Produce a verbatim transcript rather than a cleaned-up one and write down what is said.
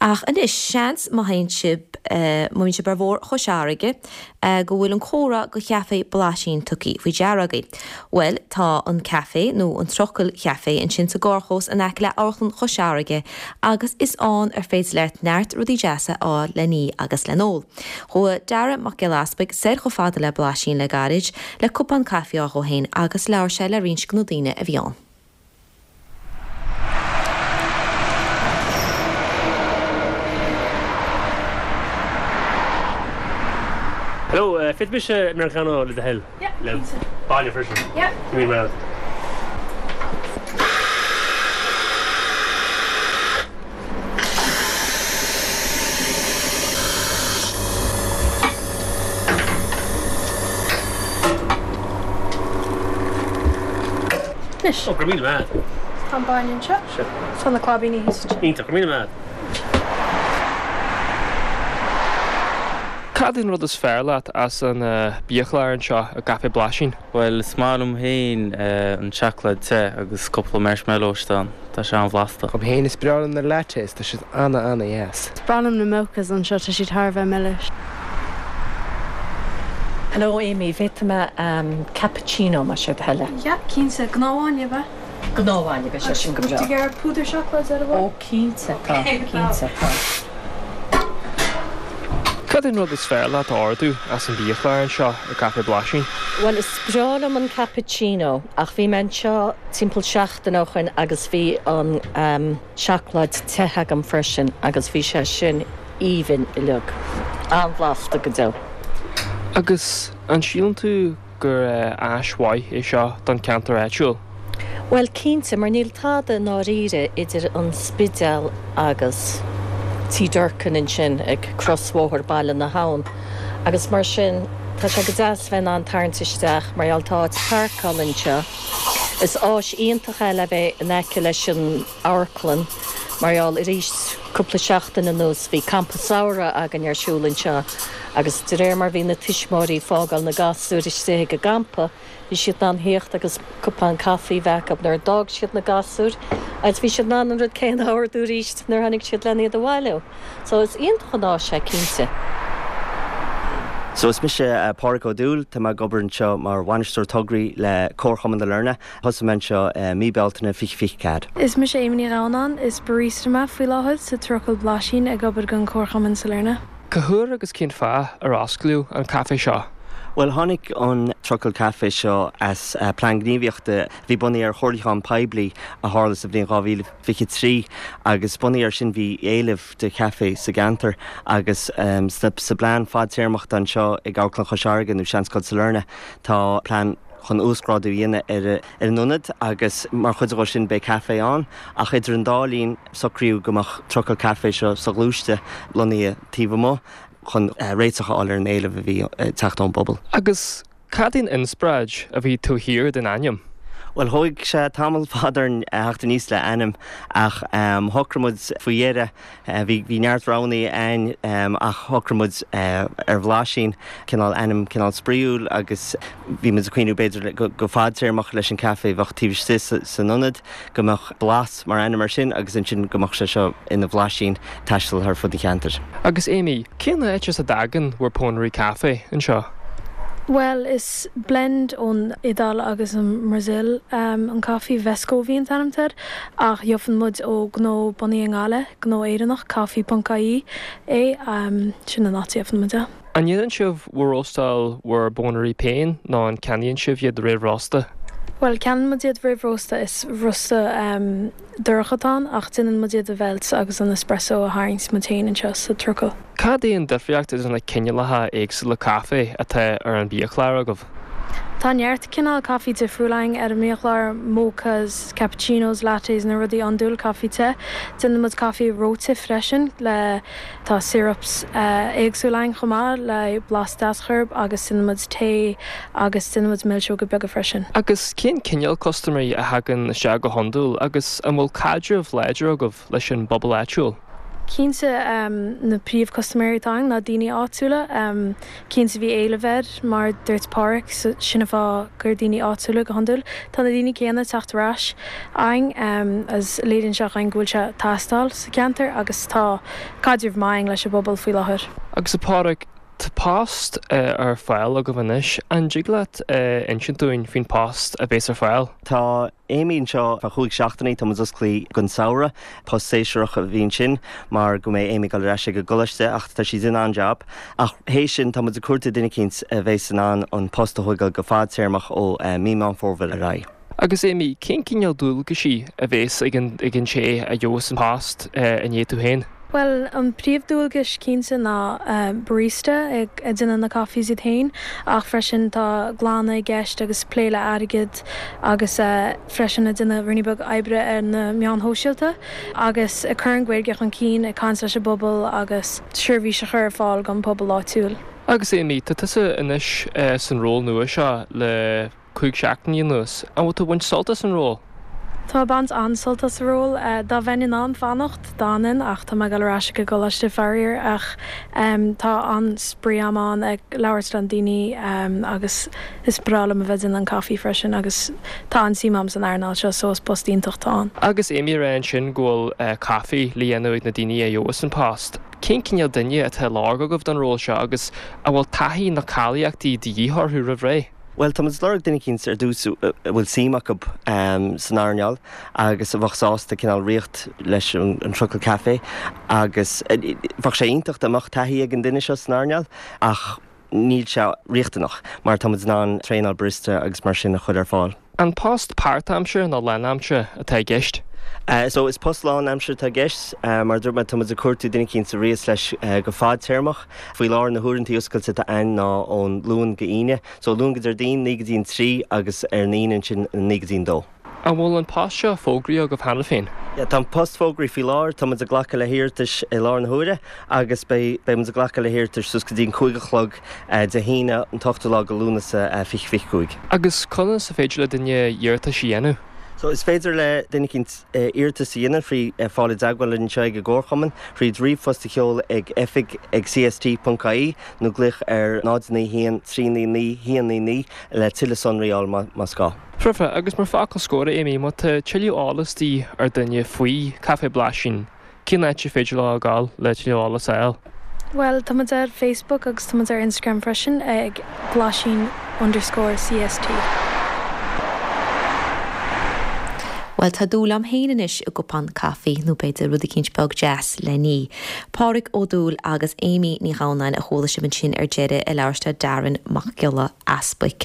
Ach anois seans má théann sibh má bhíonn sibh ar bhóthar Chois Fharraige go bhfuil an comhartha go Chaifé Blaisín tugtha faoi deara agaibh. Bhuel tá an caife nó an Trucail Chaifé ansin sa gcarrchlós in aice le Amharclann Chois Fharraige agus is ann ar féidir leat neart rudaí deasa a fháil le n-ithe agus le n-ól. Chuaigh Dara Mac Giolla Easpaig soir chomh fada le Blaisín le gairid le cupán caife a fháil dhó féin agus labhair sé le roinnt de na daoine a bhí ann. Hello, uh, féadfaidh mise Americano le do thoil? Yeah, Le cinnte. bainne freisin. Yeah. Ní mar. Anois. Ó, go raibh míle maith. Tá an bainne anseo. Sure. Tá na claibíní thíos anseo. Iontach, go raibh míle maith. Cad é an rud is fearr leat as an biachlár anseo i gCaifé Blaisín? Well is maith liom féin an seacláid te agus cúpla marshmallows ann Tá sé an-bhlasta. Dom féin is breá liom na lattes tá siad ana-ana-dheas. Is breá liom na mochas anseo tá siad thar a bheith milis. Hello Amy, bhféadfaidh mé um, cappuccino más é do thoil. Yeah, cinnte gnáthbhainne be. Gnáthbhainne be sé sin go breá. Tu gar púdar seacláid ar Ó cinnte tá cinnte tá. Cad é an rud is fearr leat a ordú as an biachlár anseo i gCaifé Blaisín? Well is breá liom an cappuccino ach bhí mé anseo timpeall seachtain ó shin agus bhí an um, seacláid te agam freisin agus bhí sé sin aoibhinn uilig. An-bhlasta go deo. Agus an síleann tú gur áis mhaith é seo don ceantar áitiúil? Well cinnte mar níl tada náiríre idir an Spidéal agus Tí Durkin ansin ag crosbhóthar Baile na hAbhann. Agus mar sin tá sé go deas bheith an tarraingt isteach mar gheall tá páirceáil anseo. Is áis iontach é le bheith in aice leis an amharclann mar gheall arís cúpla seachtain anuas bhí campa samhraidh againn ar siúl anseo agus de réir mar bhí na tuismitheoirí ag fágáil na gasúir istigh ag an gcampa, bhí siad in ann theacht agus cupán caife a bheith acu nuair a d'fhág siad na gasúir, agus bhí siad in ann an rud céanna a ordú arís nuair tháinig siad lena iad a bhailiú. So is iontach an áis é cinnte. So is mise uh, Pádraig Ó Dúill tá mé ag obair anseo mar bhainisteoir tograí le Comharchumann Sailearna, Thosaigh mé anseo uh, mí Bealtaine fiche fiche ceathair. Is mise Amy Ní Ghabhnáin is barista mé faoi láthair sa Trucail Blaisín ag obair don Chomharchumann Sailearna. Cá huair agus cén fáth ar osclaíodh an caife seo? Well tháinig an Trucail Caife seo as uh, plean gníomhaíochta bhí bunaithe ar chomhairliúchán poiblí a tharla sa bhliain dhá mhíle fiche trí agus bunaithe ar sin bhí éileamh de chaife sa gceantar agus um, sa, sa bplean fadtéarmach anseo ag Amharclann Chois Fharraige nó Seanscoil Sailearna tá plean chun uasghrádú a dhéanamh ar ar an ionad agus mar chuid de sin beidh caife ann ach idir an dá linn socraíodh go mbeadh Trucail Caife seo soghluaiste lonnaithe taobh amuigh chun uh, réiteach a fháil ar an éileamh a bhí uh, teacht ón bpobal. Agus cad é an inspioráid a bhí taobh thiar den ainm? Well thóg sé tamall fada orainn theacht aníos le ainm ach um, shocraigh muid faoi dheireadh uh, bhí bhí neart roghanna ann um, ach shocraigh muid uh, ar Bhlaisín cineál ainm cineál spraíúil agus bhí muid ag cuimhneamh b'fhéidir go, go fadtéarmach leis an caife bheadh taobh istigh sa, san ionad go mbeadh blas mar ainm ar sin agus ansin go mbeadh sé seo ina bhlaisín taisteal thar fud an cheantair. Agus Amy, cén áit as a dtagann bhur pónairí caife anseo? Well is blend ón Iodáil agus an Brazil um, an caife Vescovi an t-ainm air ach gheobhann muid ó gnó bunaithe i nGaillimh, gnó Éireannach caife.ie é um, sin an áit a gheobhann muid é. An ndéanann sibh bhur róstáil bhur bpónairí féin nó an ceannaíonn sibh iad réamhrósta? Well ceannaíonn muid iad réamhrósta is rosta um, dorcha atá ann ach déanann muid iad a mheilt agus an espresso a tharraingt muid féin anseo sa trucail. Cad é an difríocht idir na cineálacha éagsúla caife atá ar an biachlár agaibh? Tá neart cineál caife difriúil againn ar an mbiachlár mochas, cappuccinos, lattes na rudaí andúil caife te. Déanann muid caife reoite freisin le tá syrups uh, éagsúil againn chomh maith le blas deas orthu agus déanann muid tae agus déanann muid milseoga beaga freisin. Agus cén cineál custaiméirí a thagann isteach go hiondúil agus an bhfuil caidreamh láidir agaibh leis an bpobal áitiúil? Cinnte na príomhchustaiméirí atá againn ná daoine áitiúla, cinnte bhí éileamh air mar dúirt Páraic sin an fáth gur daoine áitiúla go hiondúil. Tá na daoine céanna ag teacht ar ais againn as léiríonn sé againn go bhfuil sé ag teastáil sa cheantar agus tá caidreamh maith againn leis an bpobal faoi láthair. Agus a Pháraic, tá post ar fáil agaibh anois, an dtig leat insint dúinn faoin post a bhéas ar fáil? Tá Amy anseo feadh chúig seachtainí, tá muid osclaí don samhradh, post séasúrach a bhí ansin mar go mbeidh Amy ag dul ar ais ag an gcoláiste ach tá sí in an-jab. Ach théis sin tá muid ag cuartú duine eicínt a bheas in ann an post a thógáil go fadtéarmach ó mí Meán Fómhair ar aghaidh. Agus Amy, cén cineál dualgaisí a bhéas ag an ag an té a gheobhas an post i ndiaidh tú féin? Bhuel, an príomhdualgas cinnte ná barista ag déanamh na coffees iad féin ach freisin tá glanadh i gceist agus plé le airgead agus freisin ag déanamh ruainnín beag oibre ar na meáin shóisialta agus ag cur an Ghaeilge chun cinn, ag caint leis an bpobal agus seirbhís a chur ar fáil don pobal áitiúil. Agus Amy, tá tusa anois san ról nua seo le cúig seachtainí anuas. An bhfuil tú ag baint sult as an ról? Tá baint an-sult as an ról. Dá mbeinn in ann fanacht d'fhanfainn ach tá mé ag dul ar ais ag an gcoláiste faraor ach tá an-spraoi agam ann ag labhairt le daoine agus is breá liom a bheith ag déanamh an caife freisin agus tá an-suim agam san earnáil seo so is post iontach atá ann. Agus Amy ag rá ansin go bhfuil caife le dhéanamh ag na daoine a gheobhas an post. Cén cineál duine atá á lorg agaibh don ról seo agus an bhfuil taithí na cáilíochtaí de dhíth orthu roimh ré? Bhuel, tá muid ag lorg duine eicínt ar dtús a bhfuil suim acu san earnáil agus a bheadh sásta cineál rith leis an Trucail Café agus bheadh sé iontach dá mbeadh taithí ag an duine seo san earnáil ach níl sé riachtanach mar tá muid in ann traenáil barista agus mar sin a chur ar fáil. An post páirtaimseartha nó lánaimseartha atá i gceist? So is post lánaimseartha atá i gceist. Mar a dúirt mé, tá muid ag cuartú duine eicínt a rithfeas leis go fadtéarmach. Faoi láthair na huaireanta oscailte atá ann ná ón Luan go hAoine. So Luan go Déardaoin, naoi go dtí an trí agus ar an Aoine ansin naoi go dtí an dó. An bhfuil an post seo fógraithe agaibh cheana féin? Yeah, tá an post fógraithe faoi láthair, tá muid ag glacadh le hiarratais i láthair na huaire agus beidh beidh muid ag glacadh le hiarratais suas go dtí an cúig a chlog Dé hAoine an t-ochtú lá de Lúnasa fiche fiche cúig. Agus conas is féidir le duine iarratais a dhéanamh? So is féidir le duine eicínt iarratas a dhéanamh trí fáil i dteagmháil linn anseo ag an gComharchumann, thríd ríomhphost a sheoladh ag oifig ag cst.ie nó glaoch ar náid naoi haon trí naoi naoi haon naoi naoi le tuilleadh sonraí a fháil más gá. Foirfe, agus mar focal scoir, Amy, má tá tuilleadh eolas de dhíth ar duine faoi Caife Blaisín, cén áit ar féidir leo a ghabháil le tuilleadh eolas a fháil? Bhuel, tá muid ar Facebook agus tá muid ar Instagram freisin ag blaisín underscore cst. Bhuel, tá dúil agam féin anois i gcupán caife nó b'fhéidir rud eicínt beag deas le ní. Páraic Ó Dúill agus Amy Ní Ghamhnáin a chuala sibh ansin ar deireadh ag labhairt le Darren Mac Giolla Easbuic.